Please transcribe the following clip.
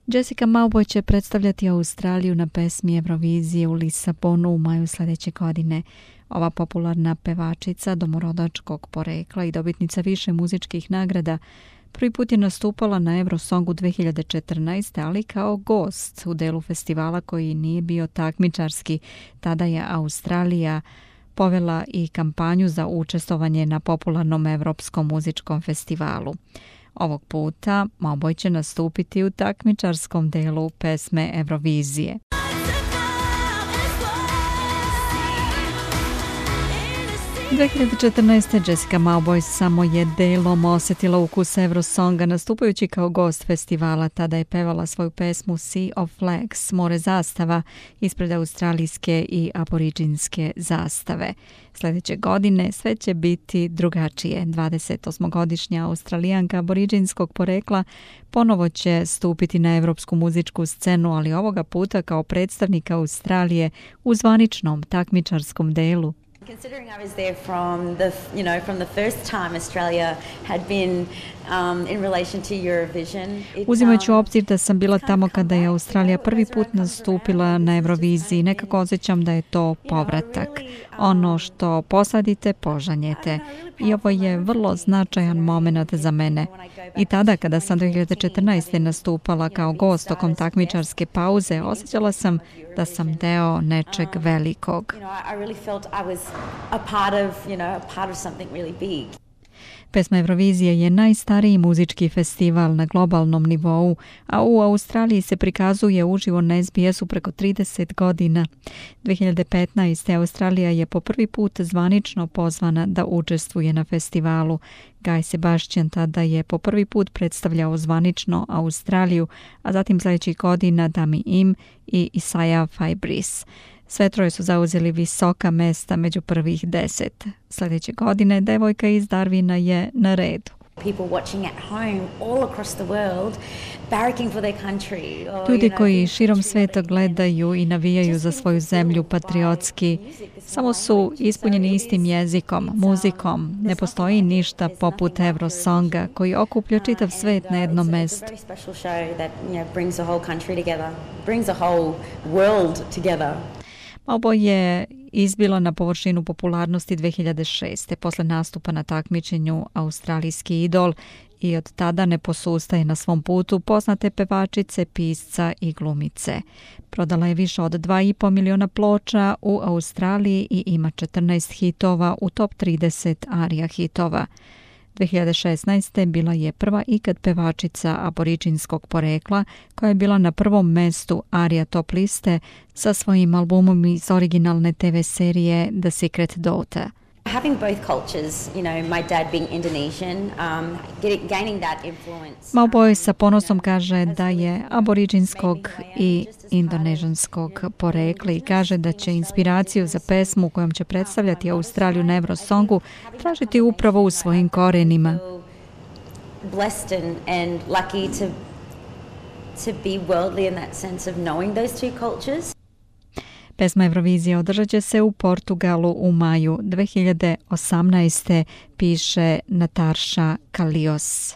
Jessica Mauboy će predstavljati Australiju na pesmi Eurovizije u Lisabonu u maju sljedeće godine. Ova popularna pevačica domorodačkog porekla i dobitnica više muzičkih nagrada prvi put je nastupala na Eurosongu 2014. ali kao gost u delu festivala koji nije bio takmičarski. Tada je Australija povela i kampanju za učestvovanje na popularnom Evropskom muzičkom festivalu. Ovog puta Mauboy će nastupiti u takmičarskom delu pesme Eurovizije. U 2014. Jessica Mauboy samo je delom osjetila ukus Eurosonga nastupajući kao gost festivala. Tada je pevala svoju pesmu Sea of Flags, more zastava, ispred australijske i aboriđinske zastave. Sljedeće godine sve će biti drugačije. 28-godišnja Australijanka aboriđinskog porekla ponovo će stupiti na evropsku muzičku scenu, ali ovoga puta kao predstavnika Australije u zvaničnom takmičarskom delu. Considering I was there from the first time Australia had been in relation to Eurovision. Uzimajući u obzir da sam bila tamo kada je Australija prvi put nastupila na Euroviziji, nekako osjećam da je to povratak. Ono što posadite, požanjete. I ovo je vrlo značajan moment za mene. I tada kada sam 2014. nastupala kao gost tokom takmičarske pauze, osjećala sam da sam deo nečeg velikog. I really felt I was a part of something really big. Pesma Eurovizije je najstariji muzički festival na globalnom nivou, a u Australiji se prikazuje uživo na SBS-u preko 30 godina. 2015. Australija je po prvi put zvanično pozvana da učestvuje na festivalu. Guy Sebastian tada je po prvi put predstavljao zvanično Australiju, a zatim sljedećih godina Dami Im i Isaiah Fabris. Sve troje su zauzeli visoka mesta među prvih 10. Sljedeće godine devojka iz Darwina je na redu. Ljudi koji širom sveta gledaju i navijaju za svoju zemlju patriotski, samo su ispunjeni istim jezikom, muzikom. Ne postoji ništa poput Eurosonga koji okuplja čitav svet na jednom mestu. Mauboy je izbila na površinu popularnosti 2006. posle nastupa na takmičenju Australijski idol i od tada ne posustaje na svom putu poznate pevačice, pisca i glumice. Prodala je više od 2,5 miliona ploča u Australiji i ima 14 hitova u top 30 ARIA hitova. 2016. bila je prva ikad pevačica aboriđinskog porekla koja je bila na prvom mestu ARIA top liste sa svojim albumom iz originalne TV serije The Secret Daughter. Having both cultures, my dad being Indonesian, gaining that influence. Mauboy sa ponosom kaže da je aboriđinskog i indonežanskog porekla i kaže da će inspiraciju za pesmu kojom će predstavljati Australiju na Eurosongu tražiti upravo u svojim korenima. Blessed and lucky to be worldly in that sense of knowing those two cultures. Pesma Eurovizije održat će se u Portugalu u maju 2018. piše Natasha Kalios.